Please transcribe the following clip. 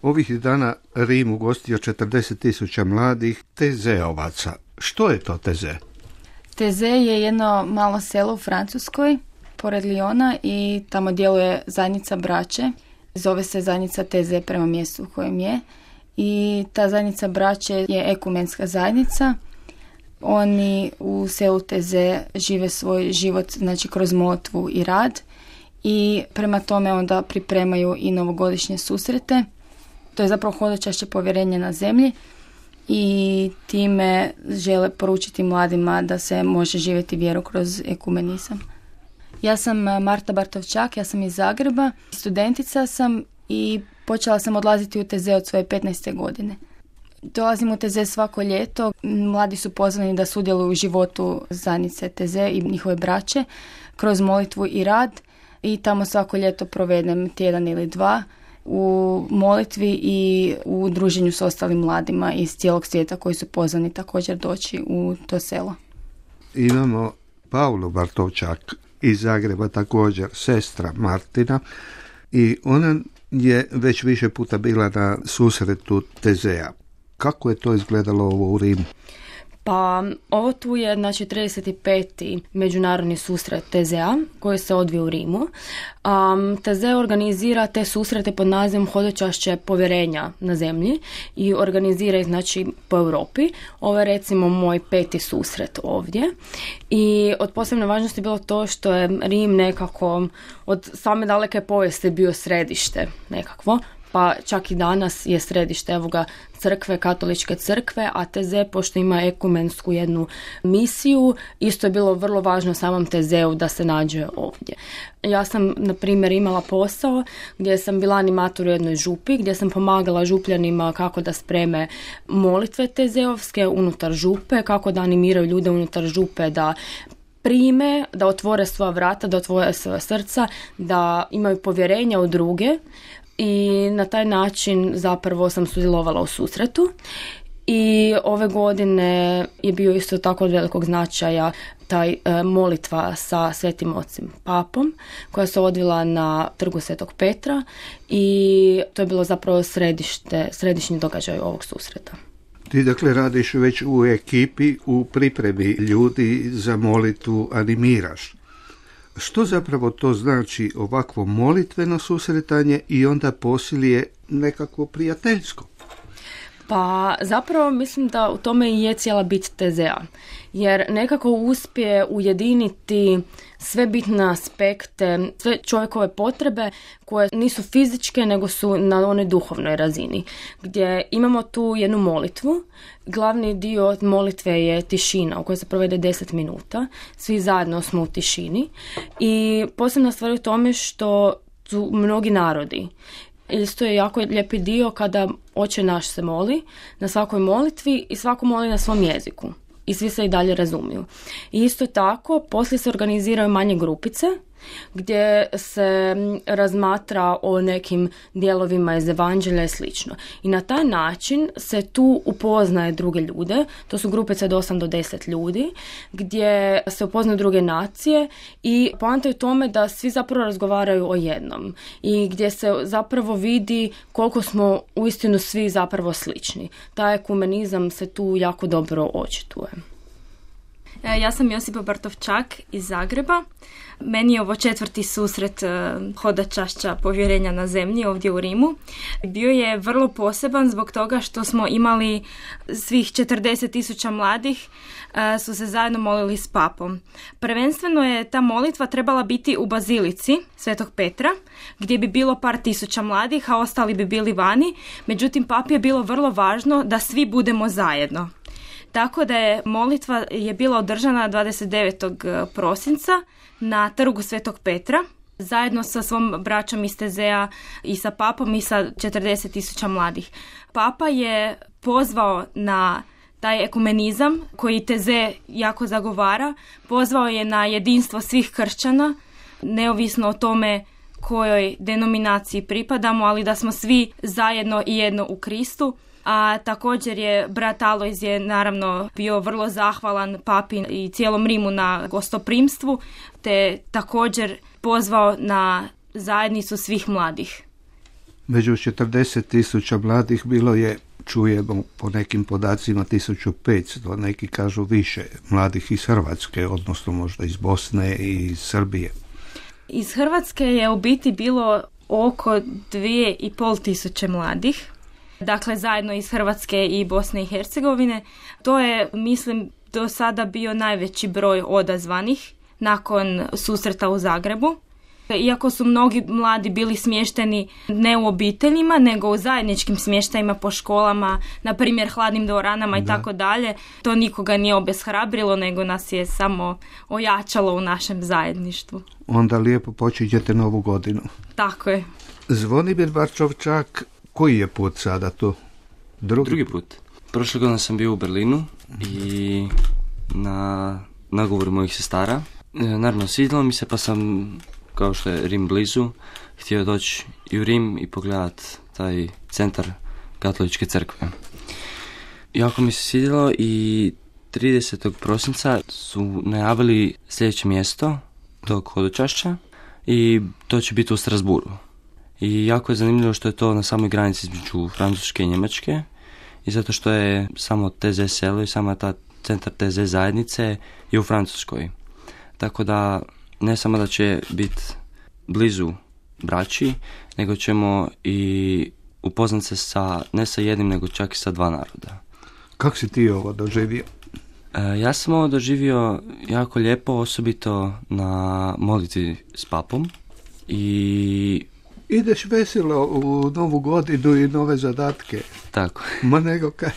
Ovih dana Rim ugostio 40.000 mladih tezeovaca. Što je to Teze? Teze je jedno malo selo u Francuskoj, pored Lyona, i tamo djeluje zajednica braće. Zove se zajednica Teze prema mjestu u kojem je. I ta zajednica braće je ekumenska zajednica. Oni u selu Teze žive svoj život, znači kroz molitvu i rad, i prema tome onda pripremaju i novogodišnje susrete. To je zapravo hodočašće povjerenja na zemlji i time žele poručiti mladima da se može živjeti vjeru kroz ekumenizam. Ja sam Marta Bartovčak, ja sam iz Zagreba, studentica sam i počela sam odlaziti u Teze od svoje 15. godine. Dolazim u Teze svako ljeto, mladi su pozvani da sudjeluju u životu zajednice Teze i njihove braće kroz molitvu i rad, i tamo svako ljeto provedem tjedan ili dva u molitvi i u druženju s ostalim mladima iz cijelog svijeta koji su pozvani također doći u to selo. Imamo Paulu Bartovčak iz Zagreba, također sestra Martina, i ona je već više puta bila na susretu Tezea. Kako je to izgledalo ovo u Rimu? Pa ovo tu je 35. međunarodni susret Tezea koji se odvija u Rimu. Teze organizira te susrete pod nazivom Hodočašće povjerenja na zemlji i organizira ih po Europi. Ovo je recimo moj 5. susret ovdje. I od posebne važnosti je bilo to što je Rim nekako od same daleke povijesti bio središte nekakvo. Pa čak i danas je središte crkve, katoličke crkve, a Teze, pošto ima ekumensku jednu misiju, isto je bilo vrlo važno samom Tezeu da se nađe ovdje. Ja sam, na primjer, imala posao gdje sam bila animator u jednoj župi, gdje sam pomagala župljanima kako da spreme molitve tezeovske unutar župe, kako da animiraju ljude unutar župe da prime, da otvore svoja vrata, da otvore svoja srca, da imaju povjerenja u druge. I na taj način zapravo sam sudjelovala u susretu. I ove godine je bio isto tako od velikog značaja taj molitva sa Svetim Ocem Papom koja se odvila na trgu Svetog Petra, i to je bilo zapravo središnji događaj ovog susreta. Ti dakle radiš već u ekipi, u pripremi ljudi za molitvu, animiraš. Što zapravo to znači ovakvo molitveno susretanje i onda posilje nekako prijateljsko? Pa zapravo mislim da u tome i je cijela bit Tezea, jer nekako uspije ujediniti sve bitne aspekte, sve čovjekove potrebe koje nisu fizičke nego su na onoj duhovnoj razini, gdje imamo tu jednu molitvu. Glavni dio molitve je tišina u kojoj se provede 10 minuta, svi zajedno smo u tišini, i posebna stvar u tome što su mnogi narodi. Isto je jako lijepi dio kada Oče naš se moli na svakoj molitvi i svako moli na svom jeziku i svi se i dalje razumiju. I isto tako poslije se organiziraju manje grupice gdje se razmatra o nekim dijelovima iz evanđelja i slično. I na taj način se tu upoznaje druge ljude, to su grupice od 8 do 10 ljudi, gdje se upoznaju druge nacije i poanta je u tome da svi zapravo razgovaraju o jednom i gdje se zapravo vidi koliko smo uistinu svi zapravo slični. Taj ekumenizam se tu jako dobro očituje. Ja sam Josipa Bartovčak iz Zagreba. Meni je ovo 4. susret hodočašća povjerenja na zemlji ovdje u Rimu. Bio je vrlo poseban zbog toga što smo imali svih 40.000 mladih su se zajedno molili s papom. Prvenstveno je ta molitva trebala biti u bazilici Svetog Petra, gdje bi bilo par tisuća mladih, a ostali bi bili vani. Međutim, papi je bilo vrlo važno da svi budemo zajedno. Tako da je molitva bila održana 29. prosinca na trgu Svetog Petra, zajedno sa svom braćom iz Tezea i sa papom i sa 40.000 mladih. Papa je pozvao na taj ekumenizam koji Teze jako zagovara, pozvao je na jedinstvo svih kršćana, neovisno o tome kojoj denominaciji pripadamo, ali da smo svi zajedno i jedno u Kristu. A također je brat Alojz je naravno bio vrlo zahvalan papi i cijelom Rimu na gostoprimstvu, te također pozvao na zajednicu svih mladih. Među 40.000 mladih bilo je, čujemo po nekim podacima, 1500, neki kažu više mladih iz Hrvatske, odnosno možda iz Bosne i iz Srbije. Iz Hrvatske je u biti bilo oko 2500 mladih, dakle zajedno iz Hrvatske i Bosne i Hercegovine. To je, mislim, do sada bio najveći broj odazvanih nakon susreta u Zagrebu. Iako su mnogi mladi bili smješteni ne u obiteljima, nego u zajedničkim smještajima po školama, na primjer hladnim dvoranama i tako dalje, to nikoga nije obeshrabrilo, nego nas je samo ojačalo u našem zajedništvu. Onda lijepo počinjete novu godinu. Tako je. Zvonimir Barčovčak, koji je put sada to? Drugi put. Prošle godine sam bio u Berlinu i na nagovoru mojih sestara. Naravno, svidjelo mi se, pa sam, kao što je Rim blizu, htio doći i u Rim i pogledat taj centar katoličke crkve. Jako mi se svidjelo i 30. prosinca su najavili sljedeće mjesto tog hodočašća i to će biti u Strasburu. I jako je zanimljivo što je to na samoj granici između Francuske i Njemačke i zato što je samo TZ selo i sama ta centar TZ zajednice je u Francuskoj. Tako da ne samo da će biti blizu braći, nego ćemo i upoznat se ne sa jednim, nego čak i sa dva naroda. Kako si ti ovo doživio? Ja sam ovo doživio jako lijepo, osobito na molitvi s papom. I ideš veselo u novu godinu i nove zadatke. Tako. Ma nego kaj.